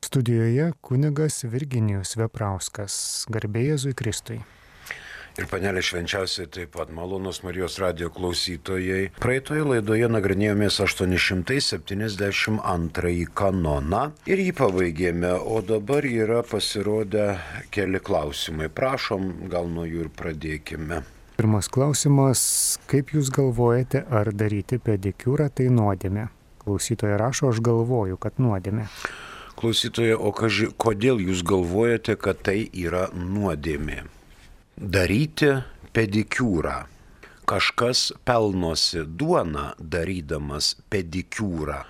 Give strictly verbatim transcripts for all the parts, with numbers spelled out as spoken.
Studijoje kunigas Virginijus Veprauskas, garbė Jėzui Kristui. Ir panelė švenčiausiai taip pat malonus Marijos radijo klausytojai. Praeitoje laidoje nagrinėjomės aštuoni šimtai septyniasdešimt antrąjį kanoną ir jį pabaigėme, o dabar yra pasirodę keli klausimai. Prašom, gal nuo jų ir pradėkime. Pirmas klausimas, kaip jūs galvojate, ar daryti pedikiūrą tai nuodėmė? Klausytoja rašo, aš galvoju, kad nuodėmė. Klausytoja, o kaži, kodėl jūs galvojate, kad tai yra nuodėmė? Daryti pedikiūrą. Kažkas pelnosi duoną darydamas pedikiūrą.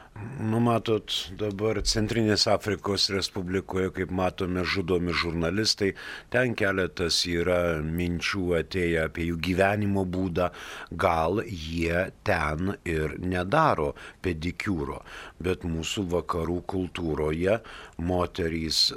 Nu, matot, dabar Centrinės Afrikos Respublikoje, kaip matome, žudomi žurnalistai, ten keletas yra minčių atėję apie jų gyvenimo būdą, gal jie ten ir nedaro pedikiūro, bet mūsų vakarų kultūroje moterys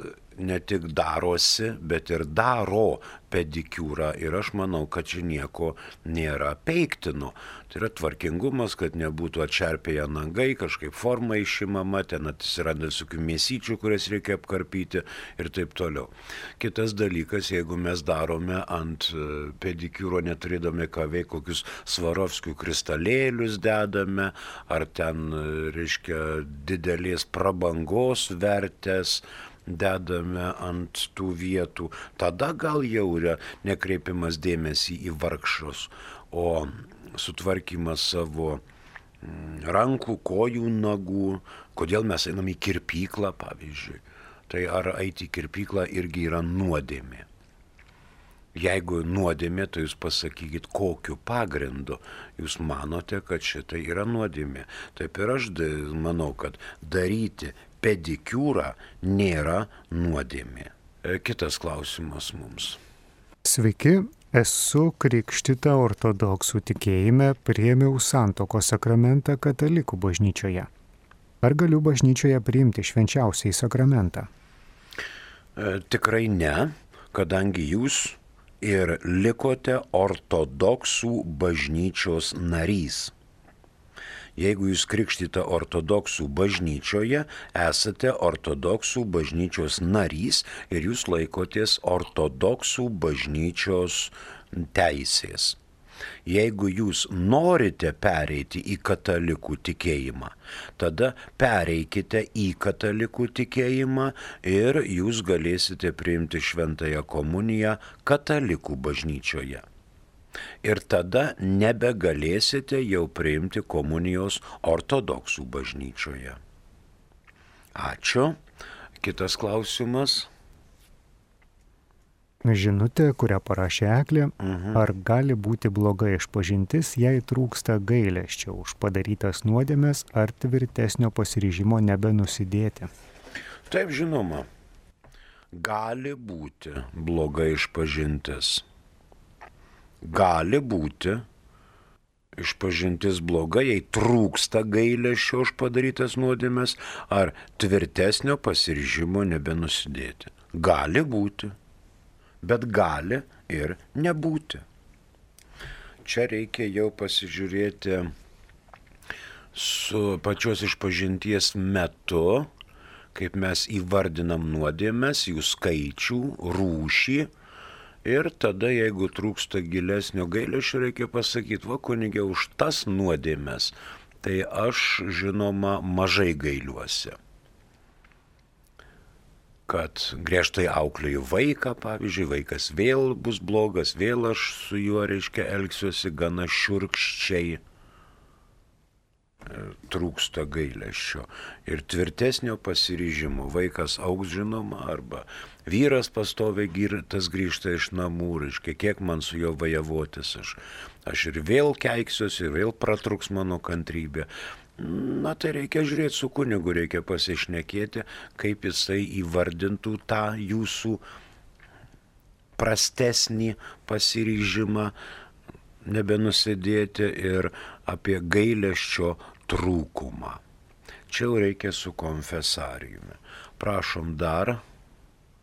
ne tik darosi, bet ir daro pedikiūrą ir aš manau, kad čia nieko nėra peiktino. Tai yra tvarkingumas, kad nebūtų atšerpėję nagai, kažkaip forma išimama, ten atsiranda visokių mėsyčių, kurias reikia apkarpyti ir taip toliau. Kitas dalykas, jeigu mes darome ant pedikiūro neturėdami ką veikti, kokius Svarovskių kristalėlius dedame, ar ten, reiškia, didelės prabangos vertės, dedame ant tų vietų, tada gal jau yra nekreipimas dėmesį į vargšus, o sutvarkymas savo rankų, kojų, nagų, kodėl mes einam į kirpyklą, pavyzdžiui. Tai ar eiti į kirpyklą irgi yra nuodėmė. Jeigu nuodėmė, tai jūs pasakykit, kokiu pagrindu jūs manote, kad šitai yra nuodėmė. Taip ir aš manau, kad daryti pedikiūrą nėra nuodėmė. Kitas klausimas mums. Sveiki, esu krikštyta ortodoksų tikėjime, priėmiau santuokos sakramentą katalikų bažnyčioje. Ar galiu bažnyčioje priimti švenčiausiąjį sakramentą? E, tikrai ne, kadangi jūs ir likote ortodoksų bažnyčios narys. Jeigu jūs krikštyta ortodoksų bažnyčioje, esate ortodoksų bažnyčios narys ir jūs laikotės ortodoksų bažnyčios teisės. Jeigu jūs norite pereiti į katalikų tikėjimą, tada pereikite į katalikų tikėjimą ir jūs galėsite priimti šventąją komuniją katalikų bažnyčioje. Ir tada nebegalėsite jau priimti komunijos ortodoksų bažnyčioje. Ačiū. Kitas klausimas. Žinutė, kurią parašė Eglė, Mhm. ar gali būti bloga išpažintis, jei trūksta gailesčio už padarytas nuodėmes ar tvirtesnio pasiryžimo nebenusidėti? Taip, žinoma, gali būti bloga išpažintis. Gali būti išpažintis bloga, jei trūksta gailesčio už padarytas nuodėmes ar tvirtesnio pasiryžimo nebenusidėti. Gali būti, bet gali ir nebūti. Čia reikia jau pasižiūrėti su pačios išpažinties metu, kaip mes įvardinam nuodėmes, jų skaičių, rūšį. Ir tada, jeigu trūksta gilesnio gailesčio, reikia pasakyti, va kunige, už tas nuodėmes, tai aš, žinoma, mažai gailiuosi. Kad griežtai auklėju vaiką, pavyzdžiui, vaikas vėl bus blogas, vėl aš su juo, reiškia, elgsiuosi gana šiurkščiai. Trūksta gailesčio ir tvirtesnio pasiryžimo. Vaikas augs, žinoma, arba vyras pastoviai girtas grįžta iš namų, reiškia, kiek man su juo vajavotis, aš, aš ir vėl keiksiuosi, ir vėl pratruks mano kantrybė. Na, tai reikia žiūrėti su kunigu, reikia pasišnekėti, kaip jisai įvardintų tą jūsų prastesnį pasiryžimą nebenusidėti ir apie gailesčio trūkumą. Čia jau reikia su konfesarijumi. Prašom dar.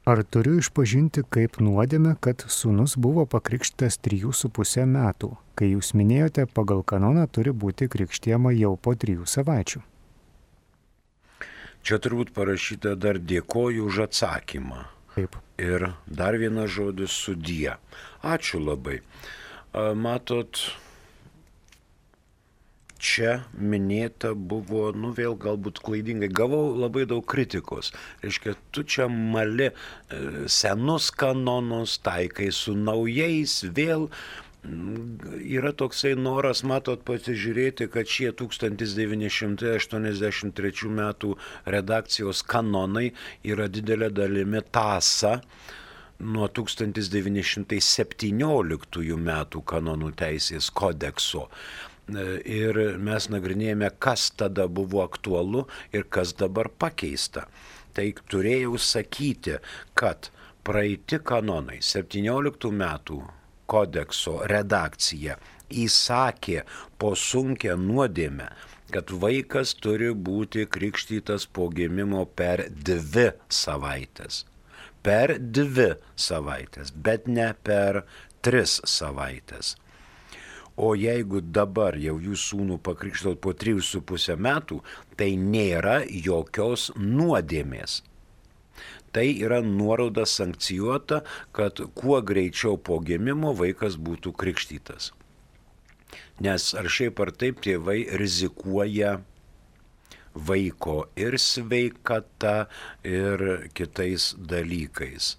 Ar turiu išpažinti kaip nuodėmę, kad sūnus buvo pakrikštytas trijų su pusę metų, kai jūs minėjote, pagal kanoną turi būti krikštijama jau po trijų savaičių? Čia turbūt parašyta dar dėkoju už atsakymą. Taip. Ir dar vienas žodis sudie. Ačiū labai. Matot, čia minėta buvo, nu vėl galbūt klaidingai, gavau labai daug kritikos. Reiškia, tu čia mali senus kanonus, taikai su naujais, vėl yra toksai noras, matot, pasižiūrėti, kad šie tūkstantis devyni šimtai aštuoniasdešimt trečių metų redakcijos kanonai yra didelė dalimi tąsa nuo tūkstantis devyni šimtai septynioliktųjų metų kanonų teisės kodekso. Ir mes nagrinėjame, kas tada buvo aktualu ir kas dabar pakeista. Tai turėjau sakyti, kad praeiti kanonai septynioliktų metų kodekso redakcija įsakė po sunkią nuodėmę, kad vaikas turi būti krikštytas po gimimo per dvi savaitės. Per dvi savaitės, bet ne per tris savaitės. O jeigu dabar jau jūs sūnų pakrikštot po trijų su pusę metų, tai nėra jokios nuodėmės. Tai yra nuoroda sankcijuota, kad kuo greičiau po gimimo vaikas būtų krikštytas. Nes ar šiaip ar taip tėvai rizikuoja vaiko ir sveikata, ir kitais dalykais.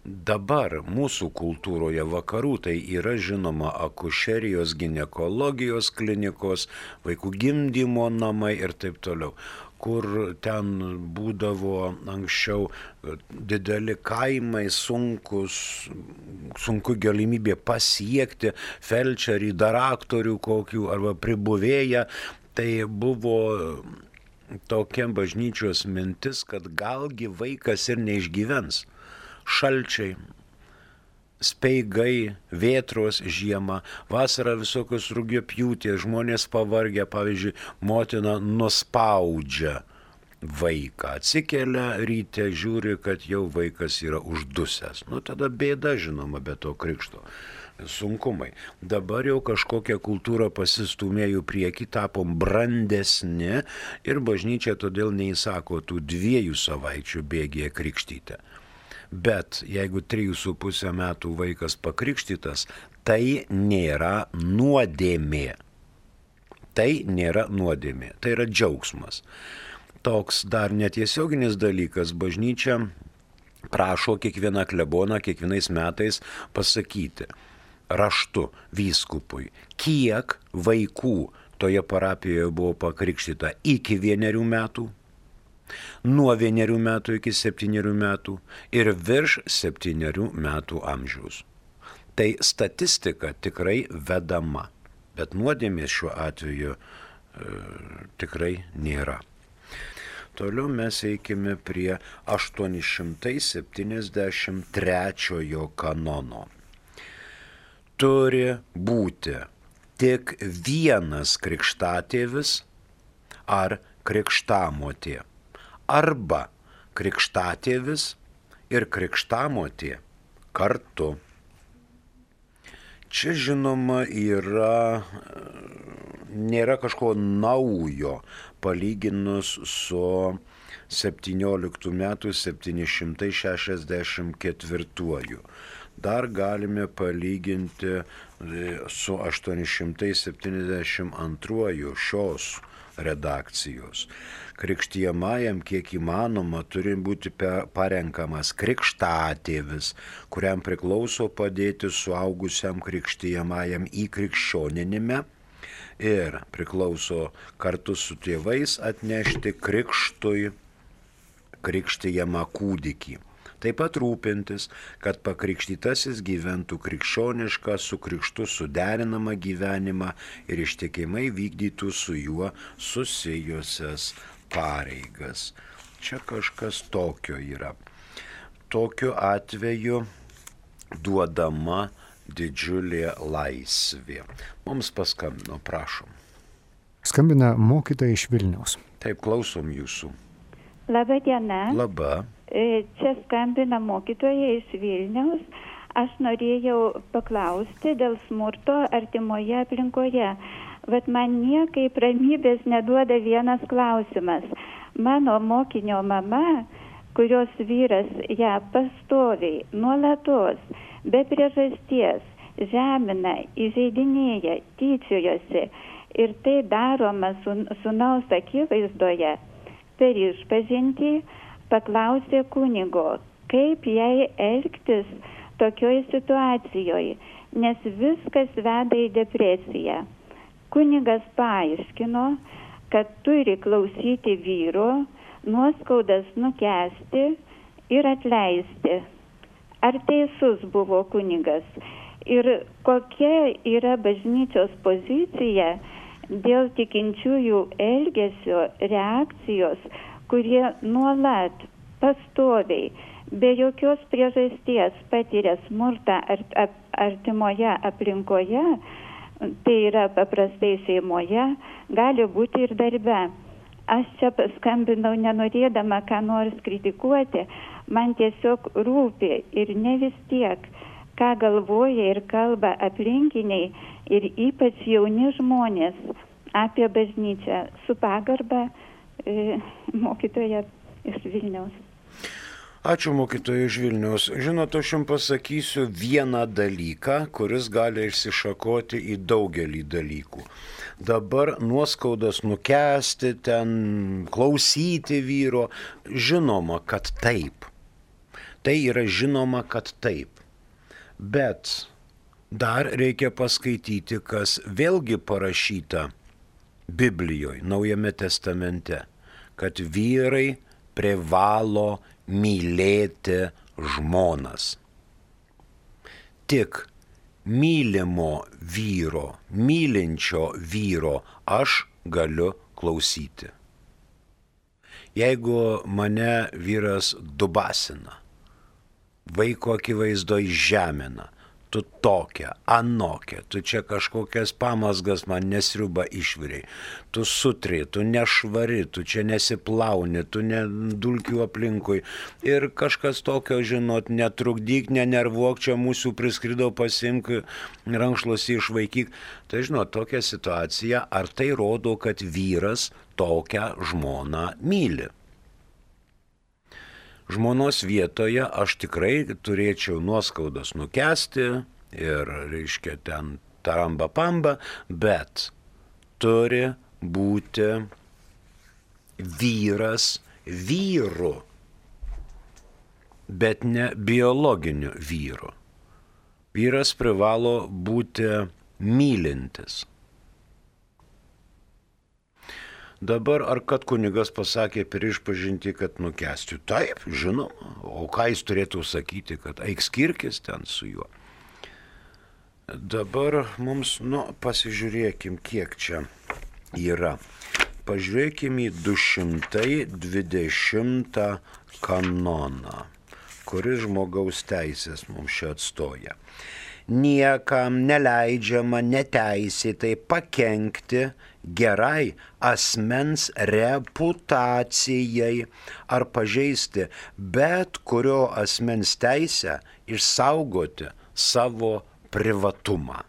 Dabar mūsų kultūroje vakarų tai yra žinoma akušerijos, ginekologijos klinikos, vaikų gimdymo namai ir taip toliau, kur ten būdavo anksčiau dideli kaimai, sunkus, sunku galimybė pasiekti felčerį, daraktorių kokių arba pribuvėją. Tai buvo tokia bažnyčios mintis, kad galgi vaikas ir neišgyvens. Šalčiai, speigai, vėtros žiemą, vasarą visokios rugiapjūtės, žmonės pavargę, pavyzdžiui, motina nuspaudžia vaiką, atsikelia ryte, žiūri, kad jau vaikas yra uždusęs. Nu tada bėda, žinoma, be to krikšto. Sunkumai. Dabar jau kažkokia kultūra pasistūmėjo prieki, tapom brandesni ir bažnyčia todėl neįsako tų dviejų savaičių bėgėje krikštyti. Bet jeigu trijų su pusę metų vaikas pakrikštytas, tai nėra nuodėmė. Tai nėra nuodėmė, tai yra džiaugsmas. Toks dar netiesioginis dalykas, bažnyčia prašo kiekvieną kleboną kiekvienais metais pasakyti raštu vyskupui, kiek vaikų toje parapijoje buvo pakrikštyta iki vienerių metų, nuo vienerių metų iki septynerių metų ir virš septynerių metų amžiaus. Tai statistika tikrai vedama, bet nuodėmės šiuo atveju e, tikrai nėra. Toliau mes eikime prie aštuoni šimtai septyniasdešimt trečiojo kanono. Turi būti tik vienas krikštatėvis ar krikštamotė. Arba krikštatėvis ir krikštamotė kartu. Čia žinoma yra, nėra kažko naujo palyginus su septynioliktų metų septyni šimtai šešiasdešimt ketvirtuoju. Dar galime palyginti su aštuoni šimtai septyniasdešimt antruoju šios redakcijos. Krikštijamajam kiek įmanoma turi būti parenkamas krikštatėvis, kuriam priklauso padėti suaugusiam krikštijamajam įkrikščioninime ir priklauso kartu su tėvais atnešti krikštui krikštijamą kūdikį. Taip pat rūpintis, kad pakrikštytasis gyventų krikščionišką su krikštu suderinamą gyvenimą ir ištikimai vykdytų su juo susijusias pareigas. Čia kažkas tokio yra. Tokiu atveju duodama didžiulė laisvė. Mums paskambino, prašom. Skambina mokytoja iš Vilniaus. Taip, klausom jūsų. Labą dieną. Labą. Čia skambina mokytoja iš Vilniaus. Aš norėjau paklausti dėl smurto artimoje aplinkoje. Bet man niekaip ramybės neduoda vienas klausimas. Mano mokinio mama, kurios vyras ją pastoviai, nuolatos, be priežasties, žemina, įžeidinėja, tyčiojosi ir tai daroma sūnaus akivaizdoje, per išpažintį paklausė kunigo, kaip jai elgtis tokioj situacijoje, nes viskas veda į depresiją. Kunigas paaiškino, kad turi klausyti vyro, nuoskaudas nukęsti ir atleisti. Ar teisus buvo kunigas? Ir kokia yra bažnyčios pozicija dėl tikinčiųjų elgesio, reakcijos, kurie nuolat, pastoviai, be jokios priežasties patiria smurtą artimoje aplinkoje, tai yra paprastai šeimoje, gali būti ir darbe. Aš čia paskambinau nenorėdama ką nors kritikuoti, man tiesiog rūpi ir ne vis tiek, ką galvoja ir kalba aplinkiniai ir ypač jauni žmonės apie bažnyčią. Su pagarba e, mokytoja iš Vilniaus. Ačiū mokytojai iš Vilniaus. Žinot, aš jums pasakysiu vieną dalyką, kuris gali išsišakoti į daugelį dalykų. Dabar nuoskaudas nukęsti, ten klausyti vyro, žinoma, kad taip. Tai yra žinoma, kad taip. Bet dar reikia paskaityti, kas vėlgi parašyta Biblijoje, Naujame testamente, kad vyrai privalo mylėti žmonas. Tik mylimo vyro, mylinčio vyro aš galiu klausyti. Jeigu mane vyras dubasina, vaiko akivaizdoje žemina, tu tokia, anokia, tu čia kažkokias pamasgas man nesriuba išviriai, tu sutrė, tu nešvari, tu čia nesiplauni, tu ne dulkių aplinkui ir kažkas tokio, žinot, netrukdyk, nenervuok, čia mūsų priskrido, pasimk, rankšluosį išvaikyk. Tai žinot, tokia situacija, ar tai rodo, kad vyras tokią žmoną myli? Žmonos vietoje aš tikrai turėčiau nuoskaudas nukęsti ir, reiškia, ten taramba pamba, bet turi būti vyras vyru, bet ne biologiniu vyru. Vyras privalo būti mylintis. Dabar, ar kad kunigas pasakė per išpažintį, kad nukęsti? Taip, žinoma. O ką jis turėtų sakyti, kad eik skirkis ten su juo? Dabar mums, nu, pasižiūrėkim, kiek čia yra. Pažiūrėkim į du šimtai dvidešimtą kanoną, kuris žmogaus teisės mums čia atstoja. Niekam neleidžiama neteisėtai pakenkti gerai asmens reputacijai ar pažeisti bet kurio asmens teisę išsaugoti savo privatumą.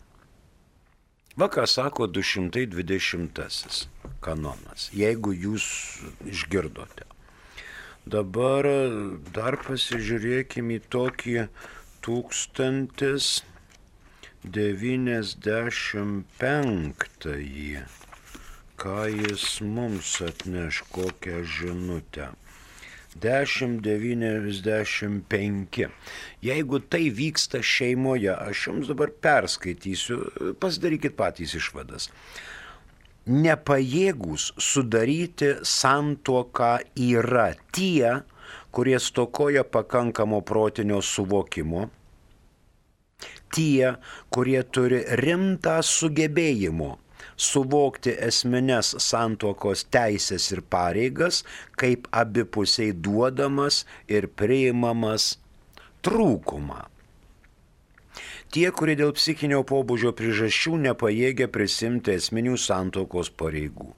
Va ką sako du šimtai dvidešimtasis kanonas, jeigu jūs išgirdote. Dabar dar pasižiūrėkime į tokį tūkstantis devyniasdešimt penktąjį. Ką jis mums atneš, kokią žinutę. dešimt devyniasdešimt penki. Jeigu tai vyksta šeimoje, aš jums dabar perskaitysiu, pasidarykit patys išvadas. Nepajėgūs sudaryti santuoką yra tie, kurie stokoja pakankamo protinio suvokimo, tie, kurie turi rimtą sugebėjimą suvokti esmines santuokos teisės ir pareigas, kaip abipusiai duodamas ir priimamas trūkumą. Tie, kurie dėl psichinio pobūdžio priežasčių nepajėgia prisimti esminių santuokos pareigų.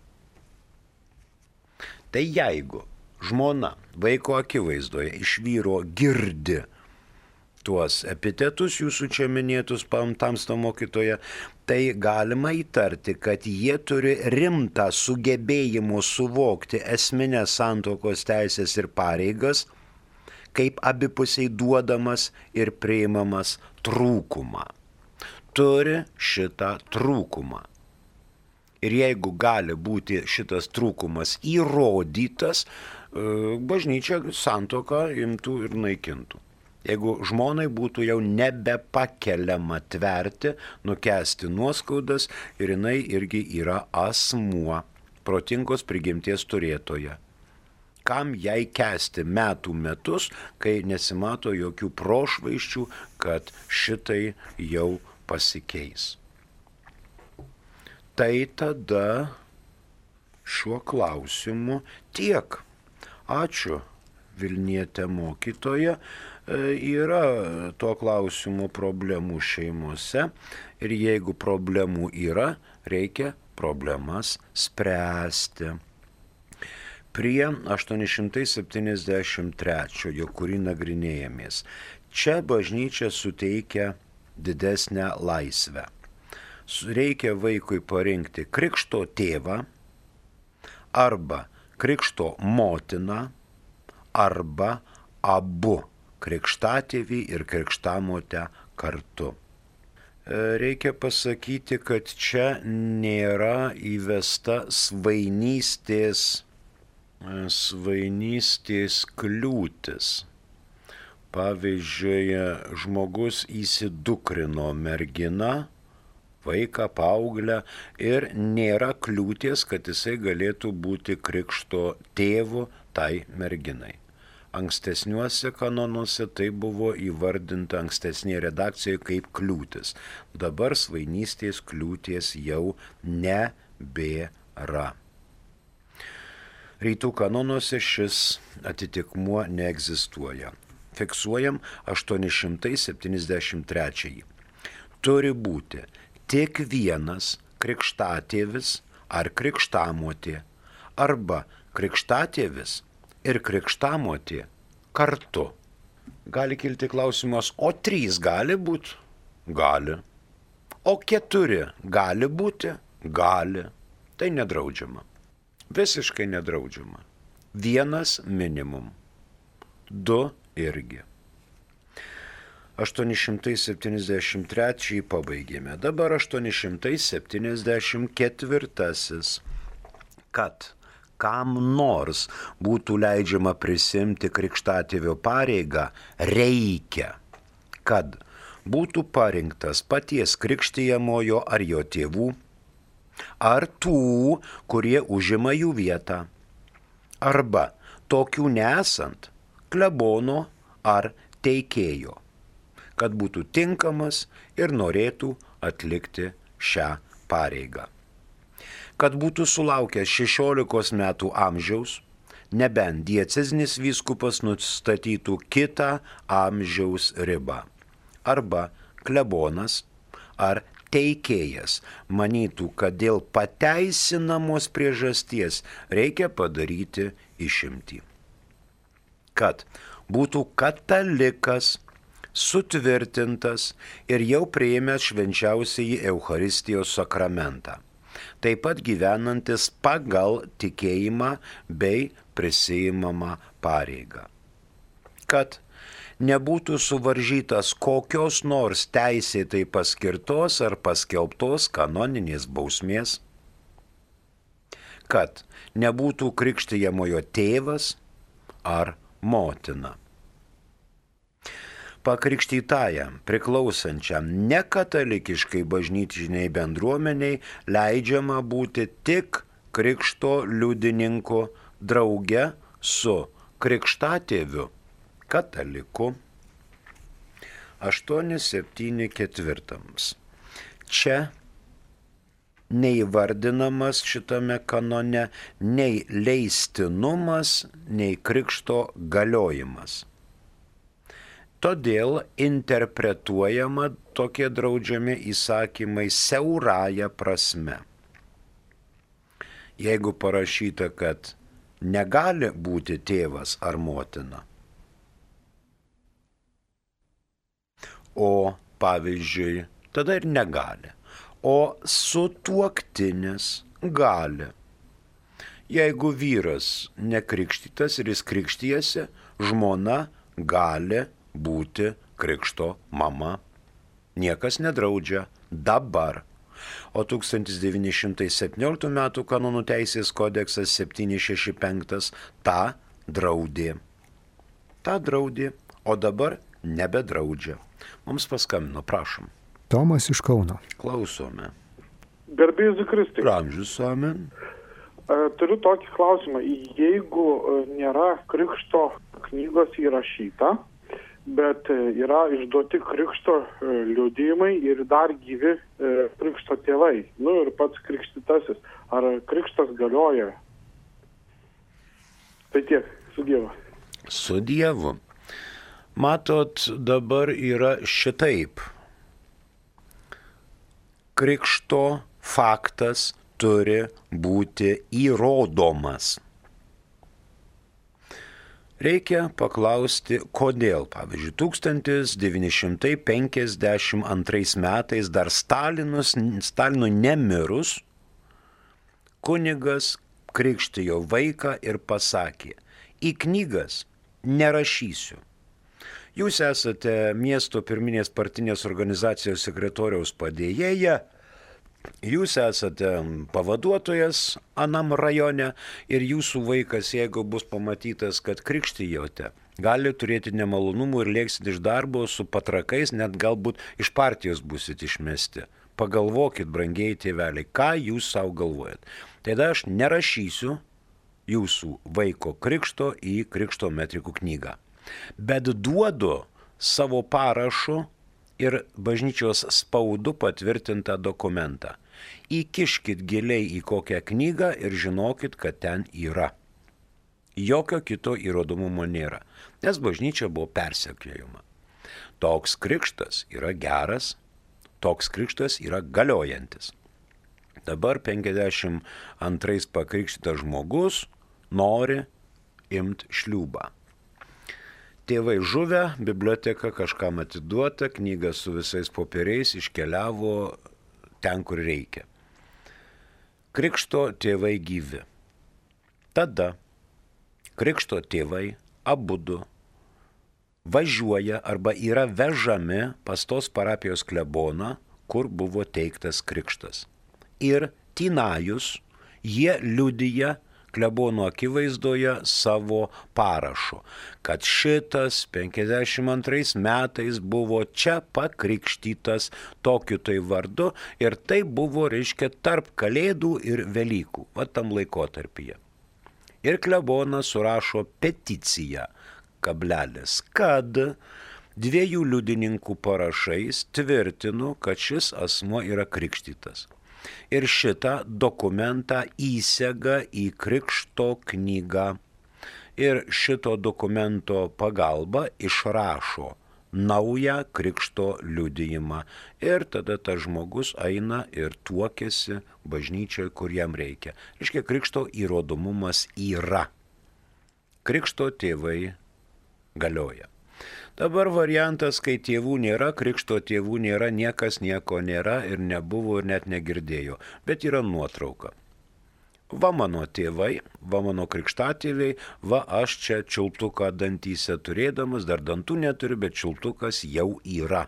Tai jeigu žmona vaiko akivaizdoje iš vyro girdi tuos epitetus jūsų čia minėtus Tamsto mokytoje, tai galima įtarti, kad jie turi rimtą sugebėjimų suvokti esminės santuokos teisės ir pareigas, kaip abipusiai duodamas ir priimamas trūkumą. Turi šitą trūkumą. Ir jeigu gali būti šitas trūkumas įrodytas, bažnyčia santuoką imtų ir naikintų. Jeigu žmonai būtų jau nebepakeliama tverti, nukęsti nuoskaudas ir jinai irgi yra asmuo, protingos prigimties turėtoja. Kam jai kęsti metų metus, kai nesimato jokių prošvaiščių, kad šitai jau pasikeis. Tai tada šiuo klausimu tiek. Ačiū, Vilnietė mokytoja. Yra tuo klausimu problemų šeimose ir jeigu problemų yra, reikia problemas spręsti. Prie aštuoni šimtai septyniasdešimt trečiojo, kurį nagrinėjamės, čia bažnyčia suteikia didesnę laisvę. Reikia vaikui parinkti krikšto tėvą arba krikšto motiną arba abu krikštatėvį ir krikštamotę kartu. Reikia pasakyti, kad čia nėra įvesta svainystės, svainystės kliūtis. Pavyzdžiui, žmogus įsidukrino merginą, vaiką, paauglę ir nėra kliūties, kad jisai galėtų būti krikšto tėvu tai merginai. Ankstesniuose kanonuose tai buvo įvardinta ankstesnėje redakcijoje kaip kliūtis. Dabar svainystės kliūties jau nebėra. Rytų kanonuose šis atitikmuo neegzistuoja. Fiksuojam aštuoni šimtai septyniasdešimt trečiąjį. Turi būti tik vienas krikštatėvis ar krikštamotė arba krikštatėvis ir krikštamotė kartu. Gali kilti klausimas, o trys gali būti? Gali. O keturi gali būti? Gali. Tai nedraudžiama. Visiškai nedraudžiama. Vienas minimum. Du irgi. aštuoni šimtai septyniasdešimt trečiąjį pabaigėme. Dabar aštuoni šimtai septyniasdešimt ketvirtasis. Kad kam nors būtų leidžiama prisimti krikštatėvio pareigą, reikia, kad būtų parinktas paties krikštijamojo ar jo tėvų, ar tų, kurie užima jų vietą, arba tokių nesant klebono ar teikėjo, kad būtų tinkamas ir norėtų atlikti šią pareigą. Kad būtų sulaukęs šešiolikos metų amžiaus, nebent diecezinis vyskupas nustatytų kitą amžiaus ribą. Arba klebonas ar teikėjas manytų, kad dėl pateisinamos priežasties reikia padaryti išimtį. Kad būtų katalikas, sutvirtintas ir jau priėmęs švenčiausiąjį Eucharistijos sakramentą. Taip pat gyvenantis pagal tikėjimą bei prisiimamą pareigą. Kad nebūtų suvaržytas kokios nors teisėtai paskirtos ar paskelbtos kanoninės bausmės. Kad nebūtų krikštijamojo tėvas ar motina. Pakrikštytajam, priklausančiam nekatalikiškai bažnytiniai bendruomeniai leidžiama būti tik krikšto liudininku drauge su krikštatėviu kataliku. aštuoni septyni ketvirtams. Čia neįvardinamas šitame kanone nei leistinumas, nei krikšto galiojimas. Todėl interpretuojama tokie draudžiami įsakymai siaurąja prasme. Jeigu parašyta, kad negali būti tėvas ar motina, o pavyzdžiui, tada ir negali. O sutuoktinis gali. Jeigu vyras nekrikštytas ir jis krikštijasi, žmona gali būti krikšto mama. Niekas nedraudžia dabar. O tūkstantis devyni šimtai septynioliktų metų kanonų teisės kodeksas septyni šeši penki tą draudė. Ta draudė, o dabar nebedraudžia. Mums paskambino, prašom. Tomas iš Kauno. Klausome. Garbė Jėzui Kristui. Amžius amen. Turiu tokį klausimą. Jeigu nėra krikšto knygos įrašyta, bet yra išduoti krikšto liudijimai ir dar gyvi krikšto tėvai, nu ir pats krikštytasis, ar krikštas galioja? Tai tiek, su Dievu. Su Dievu. Matot, dabar yra šitaip. Krikšto faktas turi būti įrodomas. Reikia paklausti, kodėl. Pavyzdžiui, tūkstantis devyni šimtai penkiasdešimt antrais metais dar Stalinus, Stalinui nemirus, kunigas krikštijo vaiką ir pasakė, į knygas nerašysiu. Jūs esate miesto pirminės partinės organizacijos sekretoriaus padėjėja, jūs esate pavaduotojas anam rajone ir jūsų vaikas, jeigu bus pamatytas, kad krikštijote, gali turėti nemalonumų ir lėksit iš darbo su patrakais, net galbūt iš partijos busit išmesti. Pagalvokit, brangieji tėveliai, ką jūs savo galvojat. Tada aš nerašysiu jūsų vaiko krikšto į krikšto metrikų knygą, bet duodu savo parašu ir bažnyčios spaudu patvirtintą dokumentą. Įkiškit giliai į kokią knygą ir žinokit, kad ten yra. Jokio kito įrodomumo nėra, nes bažnyčia buvo persekiojama. Toks krikštas yra geras, toks krikštas yra galiojantis. Dabar penkiasdešimt antrais pakrikštytas žmogus nori imti šliūbą. Tėvai žuvę, biblioteka kažkam atiduota, knyga su visais popieriais iškeliavo ten, kur reikia. Krikšto tėvai gyvi. Tada krikšto tėvai abudu važiuoja arba yra vežami pas tos parapijos kleboną, kur buvo teiktas krikštas. Ir tynajus jie liudija klebono akivaizdoje savo parašu, kad šitas penkiasdešimt antrais metais buvo čia pakrikštytas tokiu tai vardu ir tai buvo, reiškia, tarp Kalėdų ir Velykų, va tam laikotarpyje. Ir klebonas surašo peticiją, kablelis, kad dviejų liudininkų parašais tvirtinu, kad šis asmuo yra krikštytas. Ir šitą dokumentą įsega į krikšto knygą. Ir šito dokumento pagalba išrašo naują krikšto liudijimą. Ir tada tas žmogus eina ir tuokiasi bažnyčioje, kur jam reikia. Reiškia, krikšto įrodomumas yra. Krikšto tėvai galioja. Dabar variantas, kai tėvų nėra, krikšto tėvų nėra, niekas nieko nėra ir nebuvo ir net negirdėjo, bet yra nuotrauka. Va mano tėvai, va mano krikštatėviai, va aš čia čiulptuką dantyse turėdamas, dar dantų neturiu, bet čiulptukas jau yra.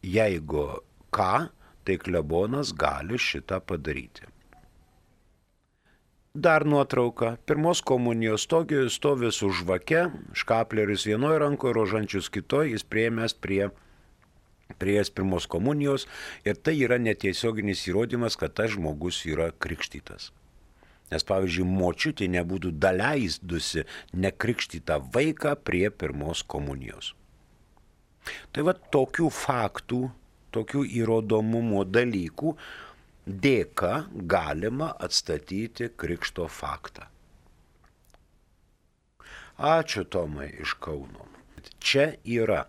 Jeigu ką, tai klebonas gali šitą padaryti. Dar nuotrauka. Pirmos komunijos stovi, stovi su žvake, škapleris vienoje rankoje, rožančius kitoje, jis priėmęs prie, prie pirmos komunijos ir tai yra netiesioginis įrodymas, kad tas žmogus yra krikštytas. Nes, pavyzdžiui, močiutė nebūtų daleisdusi nekrikštytą vaiką prie pirmos komunijos. Tai va tokių faktų, tokių įrodomumo dalykų dėka galima atstatyti krikšto faktą. Ačiū Tomai iš Kauno. Čia yra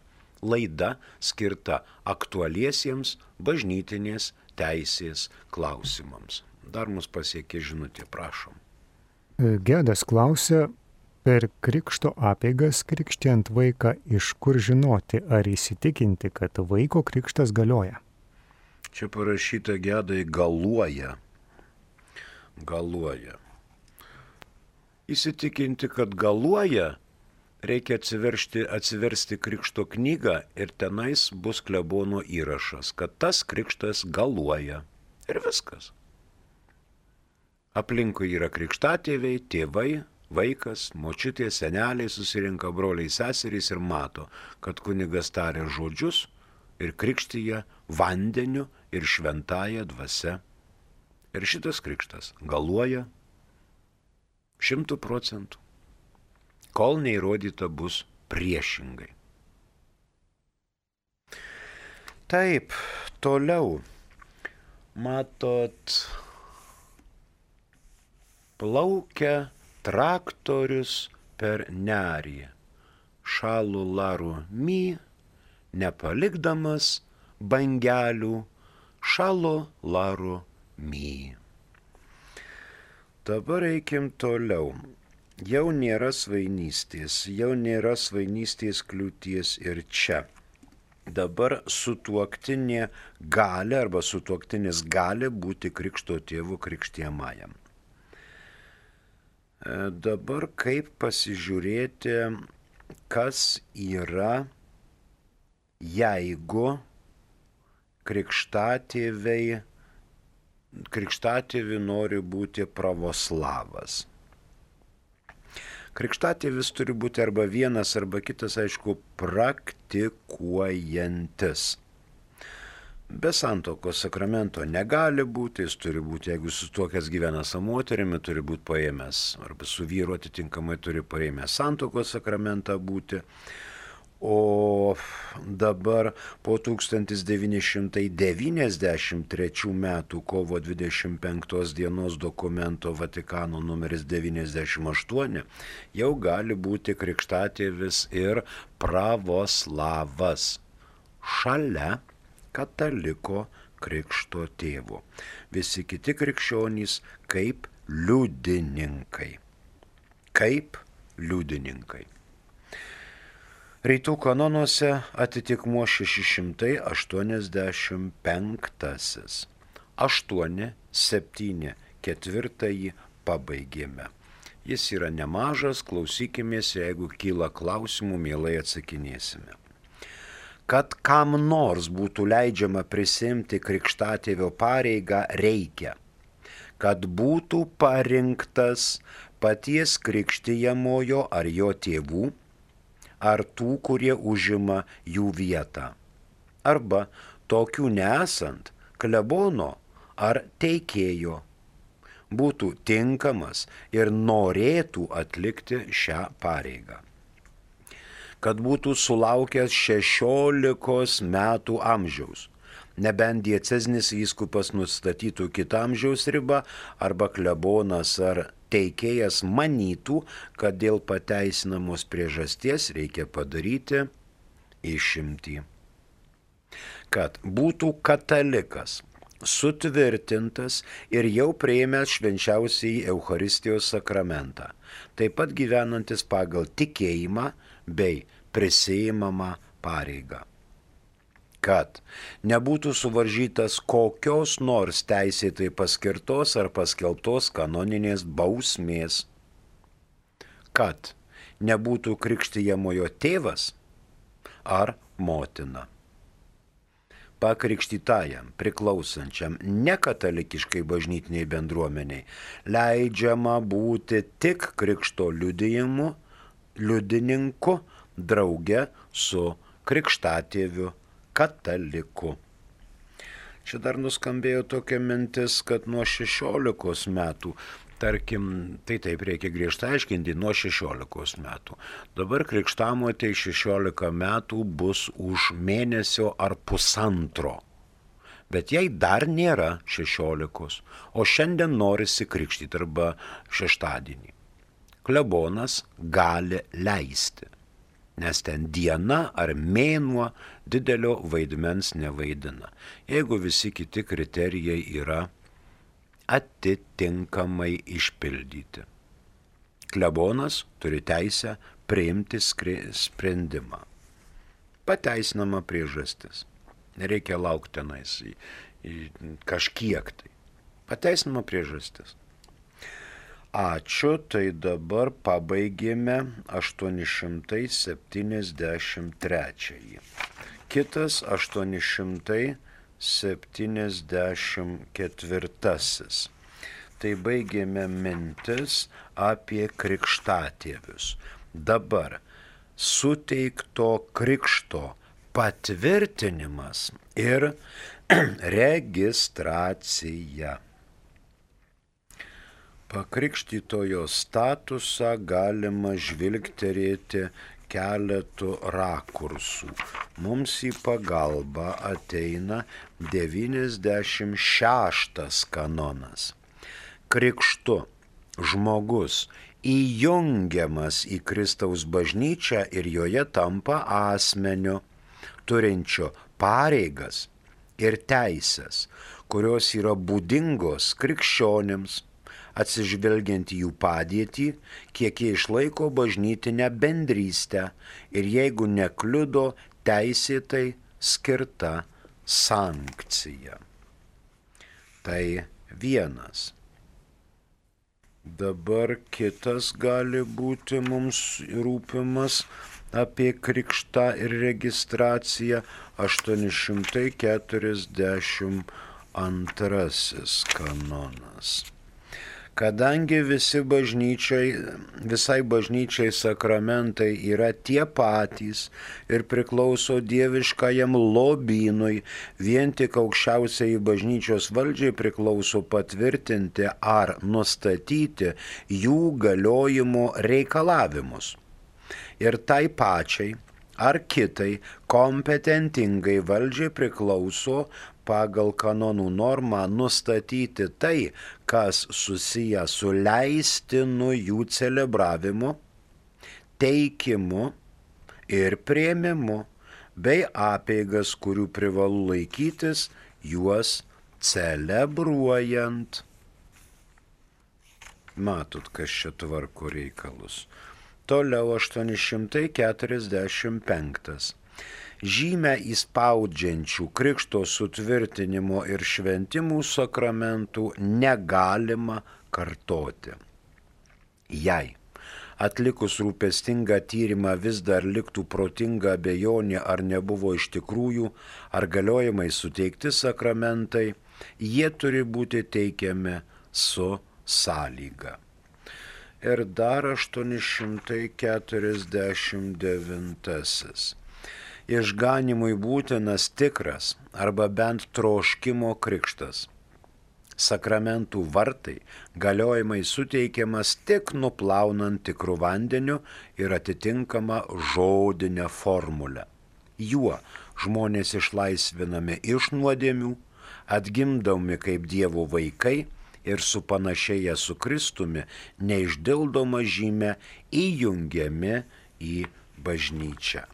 laida skirta aktualiesiems bažnytinės teisės klausimams. Dar mus pasiekė žinutė, prašom. Gedas klausia, Per krikšto apeigas krikštijant vaiką iš kur žinoti ar įsitikinti, kad vaiko krikštas galioja? Čia parašyta gedai galuoja. Galuoja. Įsitikinti, kad galuoja, reikia atsiversti, atsiversti krikšto knygą ir tenais bus klebono įrašas, kad tas krikštas galuoja. Ir viskas. Aplinkui yra krikštatėviai, tėvai, vaikas, močiutė, seneliai susirinka, broliai, seserys ir mato, kad kunigas taria žodžius ir krikštyje vandeniu ir šventąja dvasia. Ir šitas krikštas galuoja šimtų procentų, kol neįrodyta bus priešingai. Taip, toliau, matot, plaukia traktorius per nerį, šalų larų my, nepalikdamas bangelių, šalų larų my. Dabar eikim toliau. Jau nėra svainystės, jau nėra svainystės kliūties ir čia. Dabar sutuoktinė gali arba sutuoktinis gali būti krikšto tėvu krikštiemajam. Dabar kaip pasižiūrėti, kas yra, jeigu krikštatėviai, krikštatėvi nori būti pravoslavas. Krikštatėvis turi būti arba vienas, arba kitas, aišku, praktikuojantis. Be santuokos sakramento negali būti, jis turi būti, jeigu susituokęs gyvena su moterimi, turi būti paėmęs, arba su vyru atitinkamai turi paėmęs santuokos sakramentą būti. O dabar po tūkstantis devyni šimtai devyniasdešimt trečių metų kovo dvidešimt penktos dienos dokumento Vatikano numeris devyniasdešimt aštuoni jau gali būti krikštatėvis ir pravoslavas šalia kataliko krikšto tėvo. Visi kiti krikščionys kaip liudininkai. Kaip liudininkai. Rytų kanonuose atitikmuo šeši šimtai aštuoniasdešimt penktasis. aštuoni, septyni, ketvirtąjį pabaigėme. Jis yra nemažas, klausykimės, jeigu kyla klausimų, mielai atsakinėsime. Kad kam nors būtų leidžiama prisimti krikštatėvio pareigą, reikia, kad būtų parinktas paties krikštijamojo ar jo tėvų, ar tų, kurie užima jų vietą. Arba tokių nesant, klebono ar teikėjo būtų tinkamas ir norėtų atlikti šią pareigą. Kad būtų sulaukęs šešiolikos metų amžiaus, nebent diecezinis vyskupas nustatytų kitą amžiaus ribą arba klebonas ar teikėjas manytų, kad dėl pateisinamos priežasties reikia padaryti išimtį. Kad būtų katalikas, sutvirtintas ir jau priėmęs švenčiausiąjį Eucharistijos sakramentą, taip pat gyvenantis pagal tikėjimą bei prisiimamą pareigą. Kad nebūtų suvaržytas kokios nors teisėtai paskirtos ar paskelbtos kanoninės bausmės. Kad nebūtų krikštijamojo tėvas ar motina. Pakrikštytajam, priklausančiam nekatalikiškai bažnytiniai bendruomeniai leidžiama būti tik krikšto liudijimu, liudininku drauge su krikštatėviu kataliku. Čia dar nuskambėjo tokia mintis, kad nuo šešiolikos metų, tarkim, tai taip reikia griežtai aiškinti, nuo šešiolikos metų. Dabar krikštamotei šešiolika metų bus už mėnesio ar pusantro. Bet jai dar nėra šešiolikos, o šiandien norisi krikštyti arba šeštadienį. Klebonas gali leisti, nes ten diena ar mėnuo didelio vaidmens nevaidina, jeigu visi kiti kriterijai yra atitinkamai išpildyti. Klebonas turi teisę priimti sprendimą. Pateisinama priežastis. Nereikia laukti tenais į, į kažkiek tai. Pateisinama priežastis. Ačiū, tai dabar pabaigėme aštuoni šimtai septyniasdešimt trečiąjį. Kitas aštuoni šimtai septyniasdešimt ketvirtasis. Tai baigėme mintis apie krikštatėvius. Dabar suteikto krikšto patvirtinimas ir registracija. Pakrikštytojo statusą galima žvilgterėti keletų rakursų. Mums į pagalbą ateina devyniasdešimt šeštas kanonas. Krikštu žmogus įjungiamas į Kristaus bažnyčią ir joje tampa asmeniu, turinčio pareigas ir teisės, kurios yra būdingos krikščionims, atsižvelgiant į jų padėtį, kiek jie išlaiko bažnytinę bendrystę ir jeigu nekliudo teisėtai skirta sankcija. Tai vienas. Dabar kitas gali būti mums rūpimas apie krikštą ir registraciją aštuoni šimtai keturiasdešimt antrasis kanonas. Kadangi visi bažnyčiai, visai bažnyčiai sakramentai yra tie patys ir priklauso dieviškajam lobynui, vien tik aukščiausiai bažnyčios valdžiai priklauso patvirtinti ar nustatyti jų galiojimo reikalavimus. Ir tai pačiai ar kitai kompetentingai valdžiai priklauso pagal kanonų normą nustatyti tai, kas susiję su leistinu jų celebravimu, teikimu ir priėmimu, bei apeigas, kurių privalu laikytis juos celebruojant. Matot, kas čia tvarko reikalus. Toliau aštuoni šimtai keturiasdešimt penktas. Žymę įspaudžiančių krikšto sutvirtinimo ir šventimų sakramentų negalima kartoti. Jei atlikus rūpestingą tyrimą vis dar liktų protinga abejonė, ar nebuvo iš tikrųjų, ar galiojimai suteikti sakramentai, jie turi būti teikiami su sąlyga. Ir dar aštuoni šimtai keturiasdešimt devintasis. Išganimui būtinas tikras arba bent troškimo krikštas. Sakramentų vartai galiojimai suteikiamas tik nuplaunant tikrų vandeniu ir atitinkama žodinė formulė. Juo žmonės išlaisvinami iš nuodėmių, atgimdami kaip Dievo vaikai ir supanašėję su Kristumi neišdildoma žymė įjungiami į bažnyčią.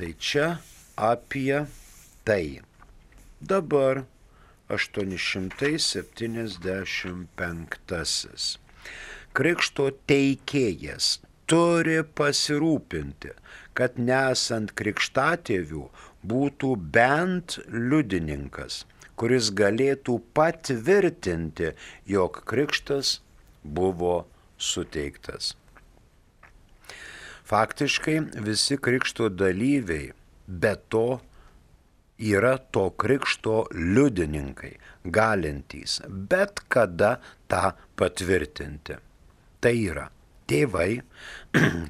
Tai čia apie tai. Dabar aštuoni šimtai septyniasdešimt penktasis. Krikšto teikėjas turi pasirūpinti, kad nesant krikštatėvių būtų bent liudininkas, kuris galėtų patvirtinti, jog krikštas buvo suteiktas. Faktiškai visi krikšto dalyviai be to yra to krikšto liudininkai, galintys bet kada tą patvirtinti. Tai yra tėvai,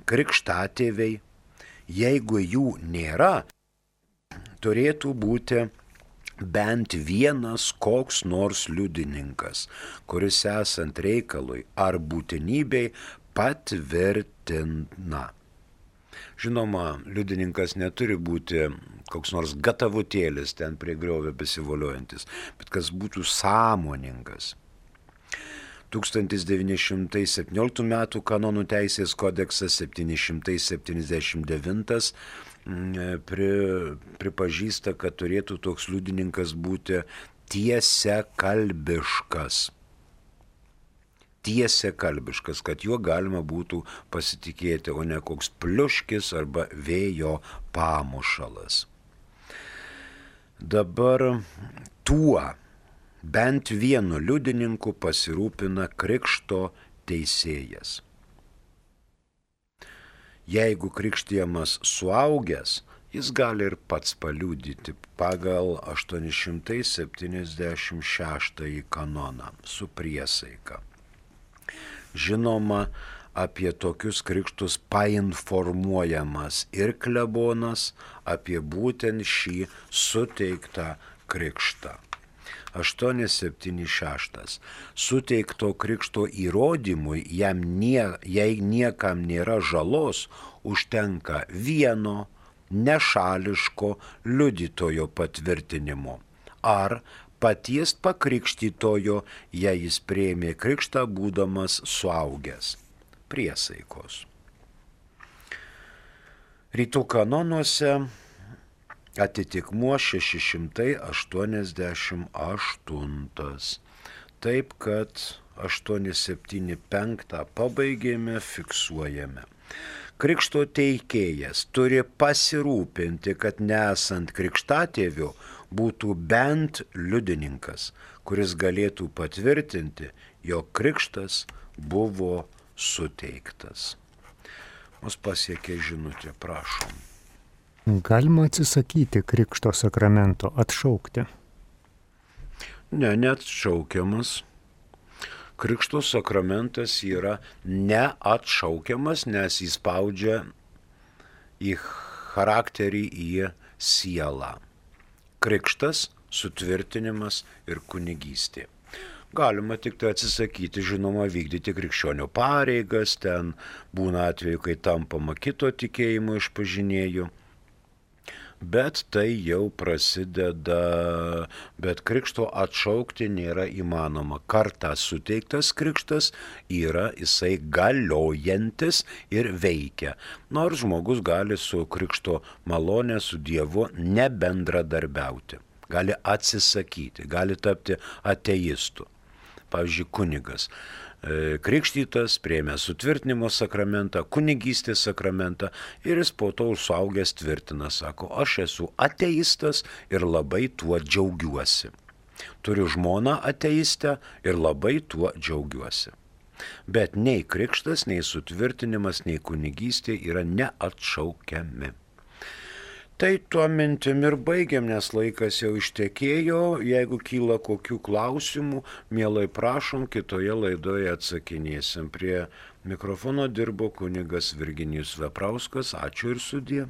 krikštatėviai, jeigu jų nėra, turėtų būti bent vienas koks nors liudininkas, kuris esant reikalui ar būtinybei patvirtina. Žinoma, liudininkas neturi būti koks nors gatavutėlis ten prie griovio besivoliojantis, bet kas būtų sąmoningas. tūkstantis devyni šimtai septynioliktų metų kanonų teisės kodeksas septyni šimtai septyniasdešimt devintas pri, pripažįsta, kad turėtų toks liudininkas būti tiesiakalbiškas. tiesiakalbiškas, kad juo galima būtų pasitikėti, o ne koks pliuškis arba vėjo pamušalas. Dabar tuo bent vienu liudininku pasirūpina krikšto teisėjas. Jeigu krikštijamas suaugęs, jis gali ir pats paliudyti pagal aštuoni šimtai septyniasdešimt šeštąjį kanoną su priesaika. Žinoma, apie tokius krikštus painformuojamas ir klebonas apie būtent šį suteiktą krikštą. aštuoni septyni šeši. Suteikto krikšto įrodymui, jam nie, jei niekam nėra žalos, užtenka vieno nešališko liudytojo patvirtinimo ar paties pakrikštytojo, jei jis priėmė krikštą būdamas suaugęs. Priesaikos. Rytų kanonuose atitikmuo šeši šimtai aštuoniasdešimt aštuntas. Taip, kad aštuoni septyni penki pabaigėme, fiksuojame. Krikšto teikėjas turi pasirūpinti, kad nesant krikštatėvių būtų bent liudininkas, kuris galėtų patvirtinti, jog krikštas buvo suteiktas. Mus pasiekė žinutė, prašom. Galima atsisakyti krikšto sakramento, atšaukti? Ne, neatšaukiamas. Krikšto sakramentas yra neatšaukiamas, nes jis spaudžia į charakterį, į sielą. Krikštas, sutvirtinimas ir kunigystė. Galima tik tai atsisakyti, žinoma, vykdyti krikščionio pareigas, ten būna atveju, kai tampama kito tikėjimo išpažinėju. Bet tai jau prasideda, bet krikšto atšaukti nėra įmanoma. Kartą suteiktas krikštas yra jisai galiojantis ir veikia. Nors žmogus gali su krikšto malonė, su Dievu nebendradarbiauti. Gali atsisakyti, gali tapti ateistu. Pavyzdžiui, kunigas. Krikštytas, priėmė sutvirtinimo sakramentą, kunigystės sakramentą ir jis po to suaugęs tvirtina, sako, aš esu ateistas ir labai tuo džiaugiuosi. Turiu žmoną ateistę ir labai tuo džiaugiuosi. Bet nei krikštas, nei sutvirtinimas, nei kunigystė yra neatšaukiami. Tai tuo mintim ir baigiam, nes laikas jau ištekėjo. Jeigu kyla kokių klausimų, mielai prašom, kitoje laidoje atsakinėsim. Prie mikrofono dirbo kunigas Virginijus Veprauskas. Ačiū ir sudie.